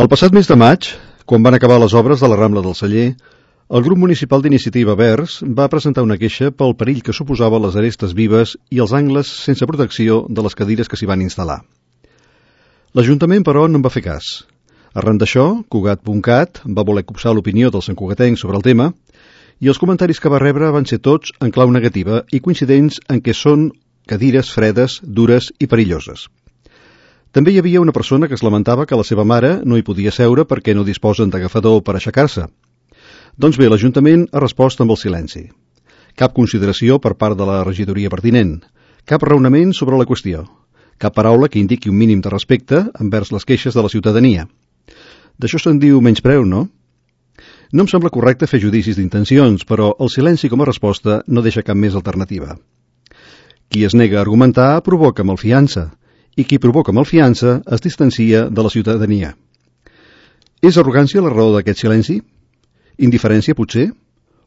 El passat mes de maig, quan van acabar les obres de la Rambla del Celler, el grup municipal d'Iniciativa Verds va presentar una queixa pel perill que suposava les arestes vives i els angles sense protecció de les cadires que s'hi van instal·lar. L'Ajuntament, però, no en va fer cas. Arran d'això, Cugat.cat va voler copsar l'opinió dels santcugatencs sobre el tema i els comentaris que va rebre van ser tots en clau negativa i coincidents en què són cadires fredes, dures i perilloses. També hi havia una persona que es lamentava que la seva mare no hi podia seure perquè no disposen d'agafador per aixecar-se. Doncs bé, l'Ajuntament ha respost amb el silenci. Cap consideració per part de la regidoria pertinent, cap raonament sobre la qüestió, cap paraula que indiqui un mínim de respecte envers les queixes de la ciutadania. D'això se'n diu menyspreu, no? No em sembla correcte fer judicis d'intencions, però el silenci com a resposta no deixa cap més alternativa. Qui es nega a argumentar provoca malfiança, i qui provoca malfiança es distancia de la ciutadania. És arrogància la raó d'aquest silenci? Indiferència, potser?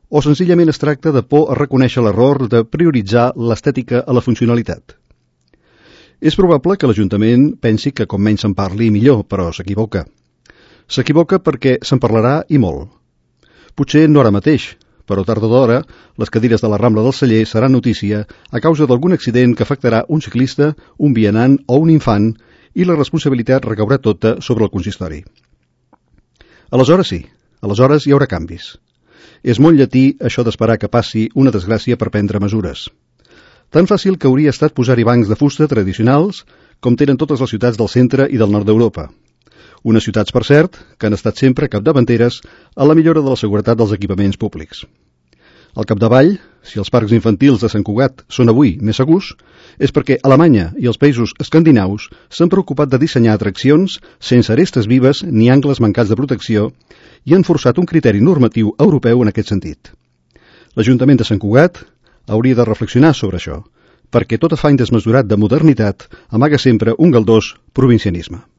O senzillament es tracta de por a reconèixer l'error de prioritzar l'estètica a la funcionalitat? És probable que l'Ajuntament pensi que com menys se'n parli millor, però s'equivoca. S'equivoca perquè se'n parlarà i molt. Potser no ara mateix, però tard o d'hora les cadires de la Rambla del Celler seran notícia a causa d'algun accident que afectarà un ciclista, un vianant o un infant i la responsabilitat recaurà tota sobre el consistori. Aleshores sí, aleshores hi haurà canvis. És molt llatí això d'esperar que passi una desgràcia per prendre mesures. Tan fàcil que hauria estat posar-hi bancs de fusta tradicionals com tenen totes les ciutats del centre i del nord d'Europa. Unes ciutats, per cert, que han estat sempre capdavanteres a la millora de la seguretat dels equipaments públics. Al capdavall, si els parcs infantils de Sant Cugat són avui més segurs, és perquè Alemanya i els països escandinaus s'han preocupat de dissenyar atraccions sense arestes vives ni angles mancats de protecció i han forçat un criteri normatiu europeu en aquest sentit. L'Ajuntament de Sant Cugat hauria de reflexionar sobre això, perquè tot afany desmesurat de modernitat amaga sempre un galdós provincianisme.